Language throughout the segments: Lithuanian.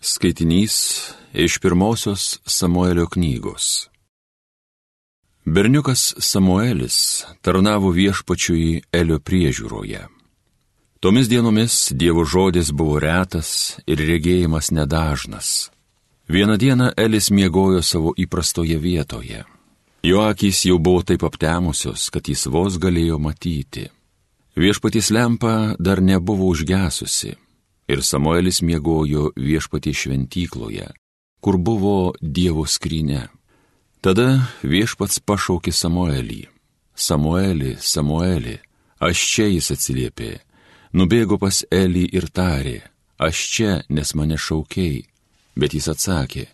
Skaitinys iš pirmosios Samuelio knygos. Berniukas Samuelis tarnavo viešpačiui Elio priežiūroje. Tomis dienomis Dievo žodis buvo retas ir regėjimas nedažnas. Vieną dieną Elis miegojo savo įprastoje vietoje. Jo akys jau buvo taip aptemusios, kad jis vos galėjo matyti. Viešpaties lempa dar nebuvo užgesusi. Ir Samuelis miegojo viešpaties šventykloje, kur buvo Dievo skrynia. Tada viešpats pašaukė Samuelį. Samueli, Samueli, aš čia, jis atsiliepė. Nubėgo pas Elį ir tarė, aš čia, nes mane šaukei. Bet jis atsakė,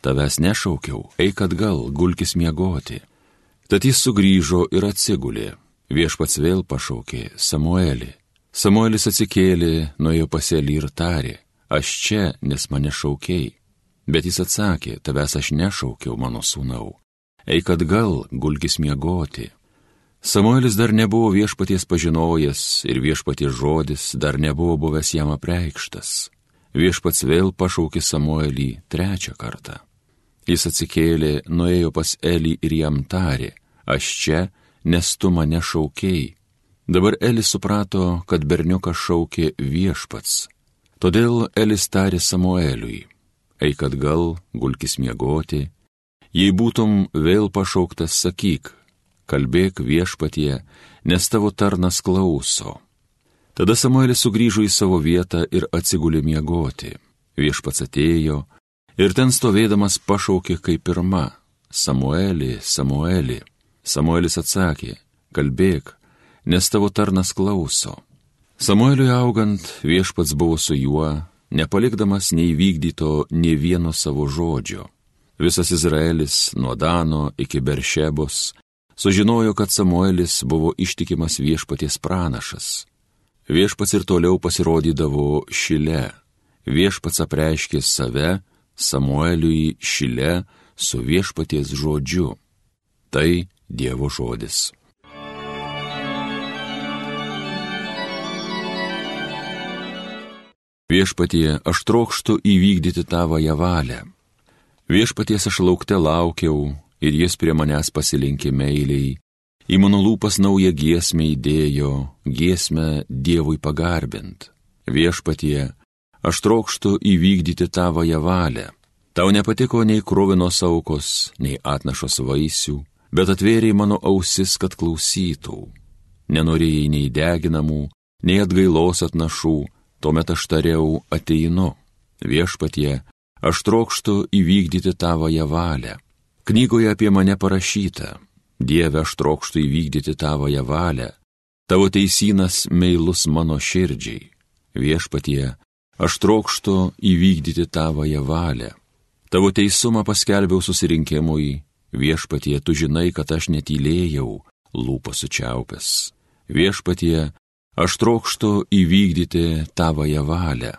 tavęs nešaukiau, eik atgal, gulkis miegoti. Tad jis sugrįžo ir atsigulė. Viešpats vėl pašaukė, Samueli. Samuelis atsikėlė, nuėjo pas Elį ir tarė, aš čia, nes mane šaukei. Bet jis atsakė, tavęs aš nešaukiau, mano sūnau. Eik atgal, gulkis miegoti. Samuelis dar nebuvo viešpaties pažinojęs ir viešpaties žodis dar nebuvo buvęs jam apreikštas. Viešpats vėl pašaukė Samuelį trečią kartą. Jis atsikėlė, nuėjo pas Elį ir jam tarė, aš čia, nes tu mane šaukei. Dabar Elis suprato, kad berniuką šaukė viešpats. Todėl Elis tarė Samueliui, eik atgal, gulkis miegoti. Jei būtum vėl pašauktas, sakyk, kalbėk viešpatie, nes tavo tarnas klauso. Tada Samuelis sugrįžo į savo vietą ir atsigulė miegoti. Viešpats atėjo ir ten stovėdamas pašaukė kaip pirma, Samueli, Samueli. Samuelis atsakė, kalbėk, nes tavo tarnas klauso. Samueliui augant, viešpats buvo su juo, nepalikdamas neįvykdyto nė vieno savo žodžio. Visas Izraelis, nuo Dano iki Beršebos, sužinojo, kad Samuelis buvo ištikimas viešpaties pranašas. Viešpats ir toliau pasirodydavo Šile. Viešpats apreiškė save Samueliui Šile su viešpaties žodžiu. Tai Dievo žodis. Viešpatie, aš trokštu įvykdyti tavąją valią. Viešpaties aš laukte laukiau ir jis prie manęs pasilinkė meiliai. Į mano lūpas naują giesmę įdėjo, giesmę Dievui pagarbint. Viešpatie, aš trokštu įvykdyti tavąją valią. Tau nepatiko nei kruvinos aukos, nei atnašos vaisių, bet atvėrei mano ausis, kad klausytų. Nenorėjai nei deginamų, nei atgailos atnašų, tuomet aš tariau, ateinu. Viešpatie, aš trokštu įvykdyti tavąją valią. Knygoje apie mane parašyta, Dieve, aš trokštu įvykdyti tavąją valią. Tavo teisynas meilus mano širdžiai. Viešpatie, aš trokštu įvykdyti tavąją valią. Tavo teisumą paskelbiau susirinkimui. Viešpatie, tu žinai, kad aš netylėjau, lūpas sučiaupęs. Viešpatie, aš trokštu įvykdyti tavąją valią.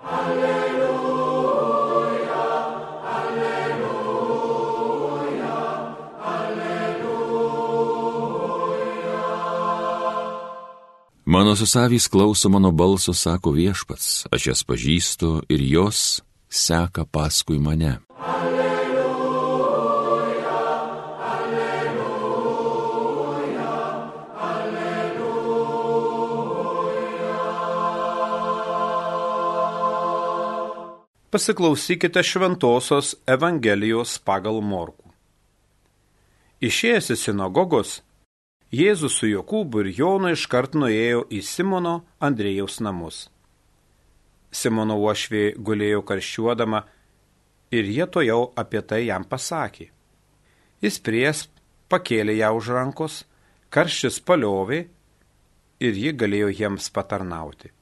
Alleluja, alleluja, alleluja. Mano susavys klauso mano balso, sako viešpats, aš jas pažįstu ir jos seka paskui mane. Pasiklausykite Šventosios Evangelijos pagal Morkų. Išėjęs iš sinagogos, Jėzus su Jokūbu ir Jonu iškart nuėjo į Simono Andriejaus namus. Simono uošvė gulėjo karščiuodama ir jie tojau apie tai jam pasakė. Jis priėjęs pakėlė ją už rankos, karštis paliovė ir ji galėjo jiems patarnauti.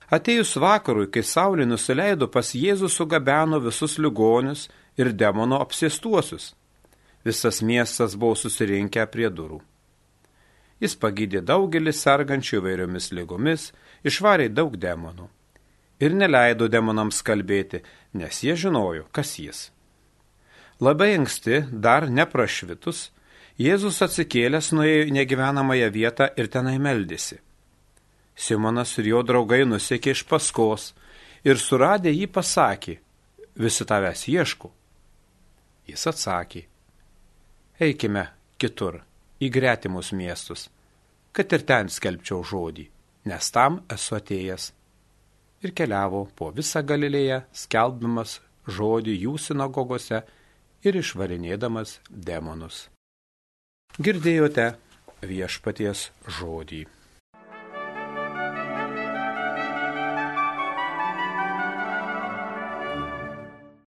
Atėjus vakarui, kai saulė nusileido, pas Jėzų sugabeno visus ligonius ir demono apsėstuosius. Visas miestas buvo susirinkę prie durų. Jis pagydė daugelį sergančių įvairiomis ligomis, išvarė daug demonų. Ir neleido demonams kalbėti, nes jie žinojo, kas jis. Labai anksti, dar neprašvitus, Jėzus atsikėlęs nuėjo į negyvenamąją vietą ir tenai meldėsi. Simonas ir jo draugai nusekė iš paskos ir suradę jį pasakė, visi tavęs ieško. Jis atsakė, eikime kitur, į gretimus miestus, kad ir ten skelbčiau žodį, nes tam esu atėjęs. Ir keliavo po visą Galilėją, skelbdamas žodį jų sinagogose ir išvarinėdamas demonus. Girdėjote viešpaties žodį.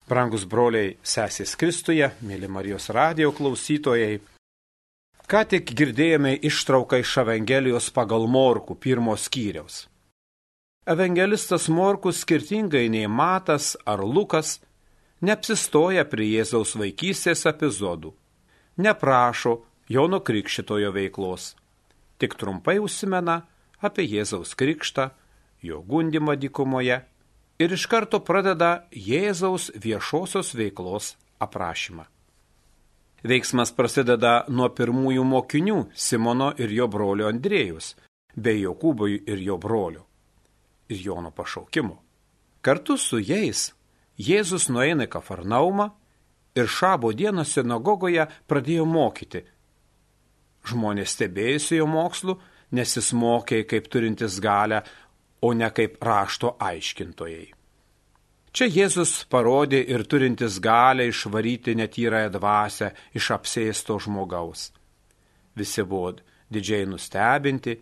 Brangus broliai, sesės Kristuje, mėly Marijos radijo klausytojai, ką tik girdėjome ištrauką iš Evangelijos pagal Morkų 1 skyriaus. Evangelistas Morkus skirtingai nei Matas ar Lukas neapsistoja prie Jėzaus vaikystės epizodų, neprašo Jono Krikščitojo veiklos, tik trumpai užsimena apie Jėzaus krikštą, jo gundymą dykumoje ir iš karto pradeda Jėzaus viešosios veiklos aprašymą. Veiksmas prasideda nuo pirmųjų mokinių Simono ir jo brolio Andrėjus, bei Jokūbo ir jo brolio, ir Jono pašaukimo. Kartu su jais Jėzus nueina į Kafarnaumą ir šabo dieną sinagogoje pradėjo mokyti. Žmonės stebėjosi jo mokslu, nes jis mokė kaip turintis galę, o ne kaip rašto aiškintojai. Čia Jėzus parodė ir turintis galę išvaryti netyrąją dvasią iš apsėsto žmogaus. Visi buvo didžiai nustebinti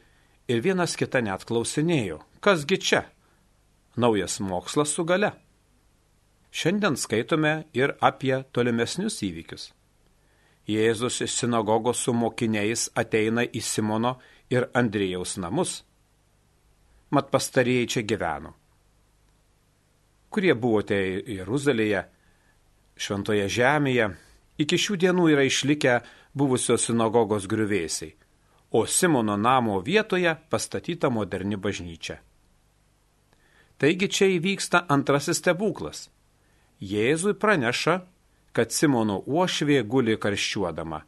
ir vienas kitą net klausinėjo, kasgi čia? Naujas mokslas su gale. Šiandien skaitome ir apie tolimesnius įvykius. Jėzus iš sinagogos su mokiniais ateina į Simono ir Andrėjaus namus. Mat pastarieji čia gyveno. Kurie buvote Jeruzalėje, šventoje žemėje, iki šių dienų yra išlikę buvusios sinagogos griuvėsiai, o Simono namo vietoje pastatyta moderni bažnyčia. Taigi čia įvyksta antrasis stebuklas. Jėzui praneša, kad Simono uošvė guli karščiuodama.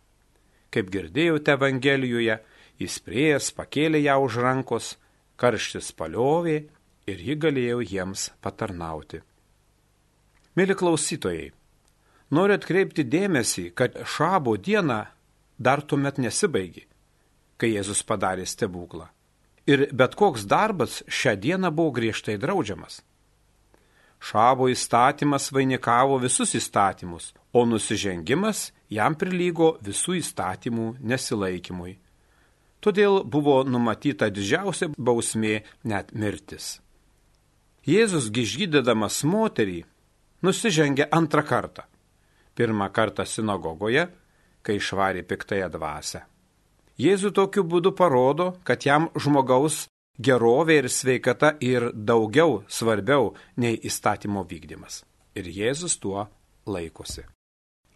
Kaip girdėjote Evangelijoje, jis priėjęs pakėlė ją už rankos, karštis paliovė ir ji galėjo jiems patarnauti. Mėly klausytojai, noriu atkreipti dėmesį, kad šabo diena dar tuomet nesibaigė, kai Jėzus padarė stebuklą. Ir bet koks darbas šią dieną buvo griežtai draudžiamas. Šabo įstatymas vainikavo visus įstatymus, o nusižengimas jam prilygo visų įstatymų nesilaikymui. Todėl buvo numatyta didžiausia bausmė, net mirtis. Jėzus išgydydamas moterį nusižengė antrą kartą. Pirmą kartą sinagogoje, kai išvarė piktąją dvasią. Jėzus tokiu būdu parodo, kad jam žmogaus gerovė ir sveikata ir daugiau svarbiau nei įstatymo vykdymas. Ir Jėzus tuo laikosi.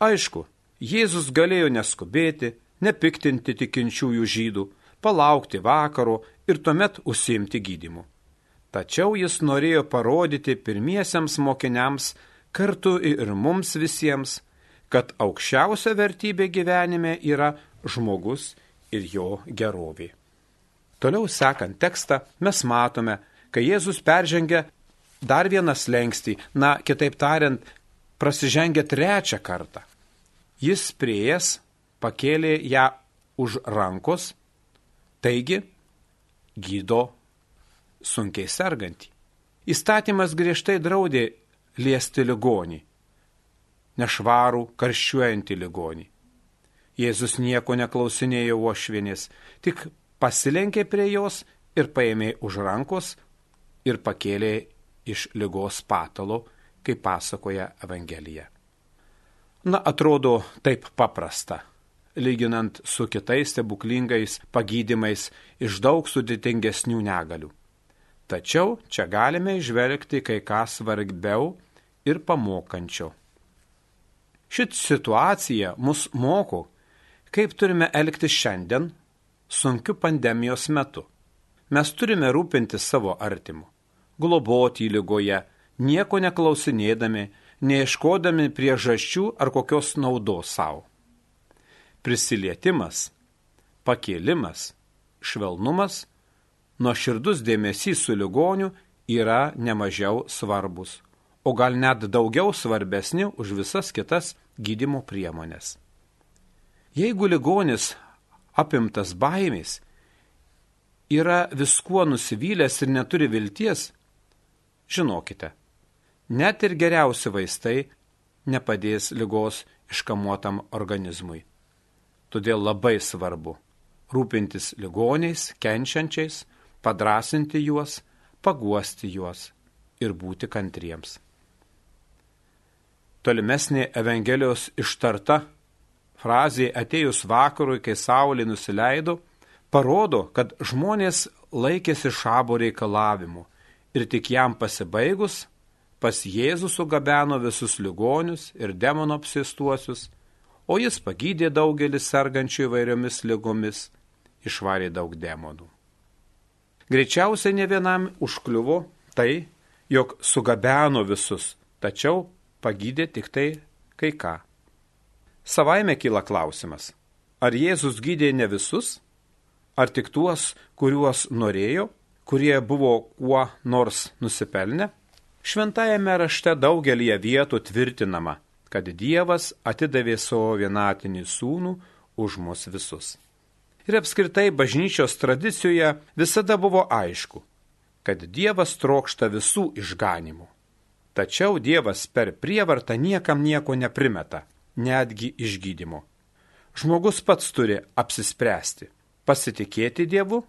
Aišku, Jėzus galėjo neskubėti, nepiktinti tikinčiųjų žydų, palaukti vakaro ir tuomet užsiimti gydymu. Tačiau jis norėjo parodyti pirmiesiems mokiniams, kartu ir mums visiems, kad aukščiausia vertybė gyvenime yra žmogus ir jo gerovė. Toliau sekant tekstą, mes matome, kai Jėzus peržengia dar vieną slenkstį, kitaip tariant, prasižengia trečią kartą. Jis priėjęs pakėlė ją už rankos, taigi gydo sunkiai sergantį. Įstatymas griežtai draudė liesti ligonį, nešvarų, karščiuojantį ligonį. Jėzus nieko neklausinėjo uošvienės, tik pasilenkė prie jos ir paėmė už rankos ir pakėlė iš ligos patalo, kaip pasakoja Evangelija. Atrodo taip paprasta, lyginant su kitais stebuklingais pagydymais iš daug sudėtingesnių negalių. Tačiau čia galime įžvelgti kai ką svarbiau ir pamokančio. Šit situacija mus moko, kaip turime elgtis šiandien, sunkiu pandemijos metu. Mes turime rūpinti savo artimu, globoti ligoje, nieko neklausinėdami, neieškodami priežasčių ar kokios naudos savo. Prisilietimas, pakėlimas, švelnumas, nuoširdus dėmesys su ligoniu yra nemažiau svarbus, o gal net daugiau svarbesni už visas kitas gydymo priemonės. Jeigu ligonis apimtas baimės, yra viskuo nusivylęs ir neturi vilties, žinokite, net ir geriausi vaistai nepadės ligos iškamuotam organizmui. Todėl labai svarbu rūpintis ligoniais, kenčiančiais, padrasinti juos, paguosti juos ir būti kantriems. Tolimesnė Evangelijos ištarta frazė atėjus vakarui, kai saulė nusileido, parodo, kad žmonės laikėsi šabo reikalavimų ir tik jam pasibaigus pas Jėzų sugabeno visus ligonius ir demono apsėstuosius, o jis pagydė daugelį sergančių įvairiomis ligomis, išvarė daug demonų. Greičiausiai ne vienam užkliuvo tai, jog sugabeno visus, tačiau pagydė tik tai kai ką. Savaime kyla klausimas, ar Jėzus gydė ne visus, ar tik tuos, kuriuos norėjo, kurie buvo kuo nors nusipelnę? Šventajame rašte daugelie vietų tvirtinama, kad Dievas atidavė savo vienatinį sūnų už mus visus. Ir apskritai bažnyčios tradicijoje visada buvo aišku, kad Dievas trokšta visų išganimų. Tačiau Dievas per prievartą niekam nieko neprimeta, netgi išgydymo. Žmogus pats turi apsispręsti, pasitikėti Dievu,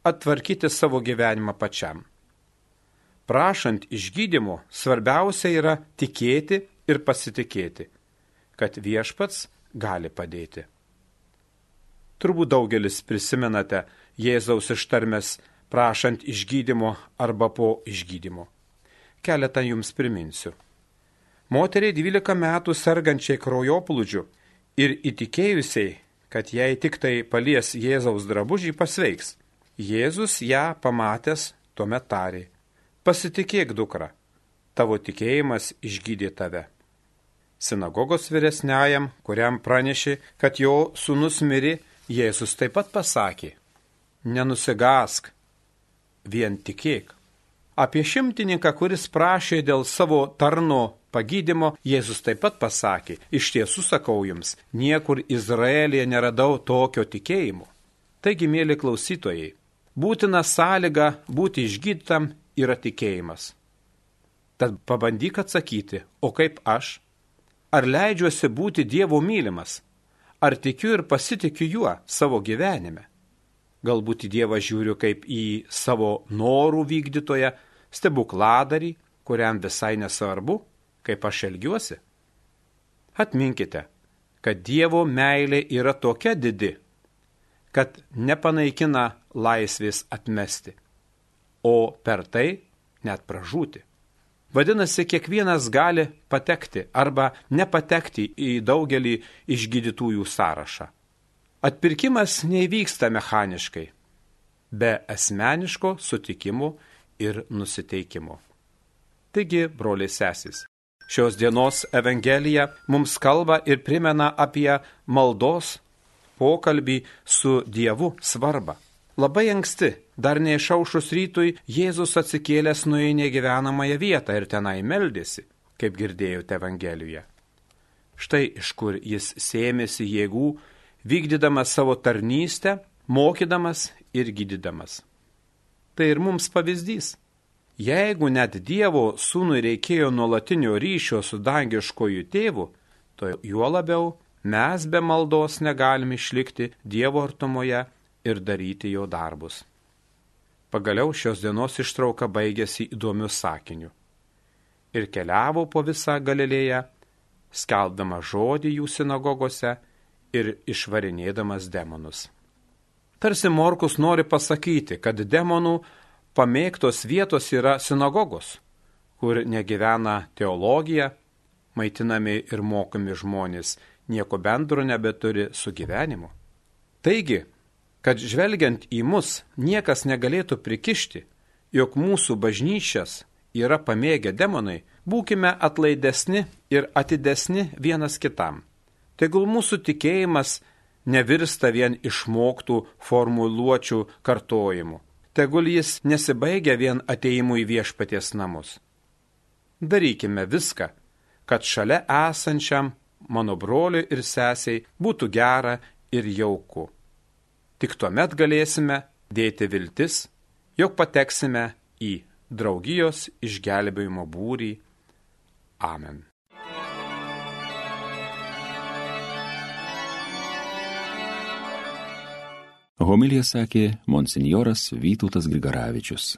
atvarkyti savo gyvenimą pačiam. Prašant išgydymo, svarbiausia yra tikėti ir pasitikėti, kad viešpats gali padėti. Turbūt daugelis prisimenate Jėzaus ištarmes prašant išgydymo arba po išgydymo. Keletą jums priminsiu. Moteriai 12 metų sergančiai kraujoplūdžiu ir įtikėjusiai, kad jei tik tai palies Jėzaus drabužį pasveiks. Jėzus ją pamatęs tuomet tarė: pasitikėk, dukra, tavo tikėjimas išgydė tave. Sinagogos vyresniajam, kuriam pranešė, kad jo sūnus mirė, Jėzus taip pat pasakė: nenusigask, vien tikėk. Apie šimtininką, kuris prašė dėl savo tarno pagydymo, Jėzus taip pat pasakė: iš tiesų sakau jums, niekur Izraelyje neradau tokio tikėjimo. Taigi, mėly klausytojai, būtina sąlyga būti išgydytam yra tikėjimas. Tad pabandyk atsakyti, o kaip aš? Ar leidžiuosi būti Dievo mylimas? Ar tikiu ir pasitikiu juo savo gyvenime? Galbūt į Dievą žiūriu kaip į savo norų vykdytoją, stebukladarį, kuriam visai nesvarbu, kaip aš elgiuosi? Atminkite, kad Dievo meilė yra tokia didi, kad nepanaikina laisvės atmesti, o per tai net pražūti. Vadinasi, kiekvienas gali patekti arba nepatekti į daugelį išgydytųjų sąrašą. Atpirkimas neįvyksta mechaniškai, be asmeniško sutikimo ir nusiteikimo. Taigi, broliai sesės, šios dienos Evangelija mums kalba ir primena apie maldos pokalbį su Dievu svarbą. Labai anksti, dar neišaušus rytui, Jėzus atsikėlęs nuėjo į negyvenamąją vietą ir tenai meldėsi, kaip girdėjote Evangelijoje. Štai iš kur jis sėmėsi jėgų, vykdydamas savo tarnystę, mokydamas ir gydydamas. Tai ir mums pavyzdys. Jeigu net Dievo sūnui reikėjo nuolatinio ryšio su dangiškoju tėvu, to juo labiau mes be maldos negalime išlikti Dievo artumoje ir daryti jo darbus. Pagaliau šios dienos ištrauka baigėsi įdomiu sakiniu. Ir keliavo po visą Galilėją, skelbdama žodį jų sinagogose ir išvarinėdamas demonus. Tarsi Morkus nori pasakyti, kad demonų pamėgtos vietos yra sinagogos, kur negyvena teologija, maitinami ir mokomi žmonės, nieko bendro nebeturi su gyvenimu. Taigi, kad žvelgiant į mus niekas negalėtų prikišti, jog mūsų bažnyčias yra pamėgę demonai, būkime atlaidesni ir atidesni vienas kitam. Tegul mūsų tikėjimas nevirsta vien išmoktų formuluočių kartojimu. Tegul jis nesibaigia vien atėjimu į viešpaties namus. darykime viską, kad šalia esančiam mano broliui ir sesiai būtų gera ir jauku. Tik tuomet galėsime dėti viltis, jog pateksime į draugijos išgelbėjimo būrį. Amen. Homiliją sakė monsinjoras Vytautas Grigaravičius.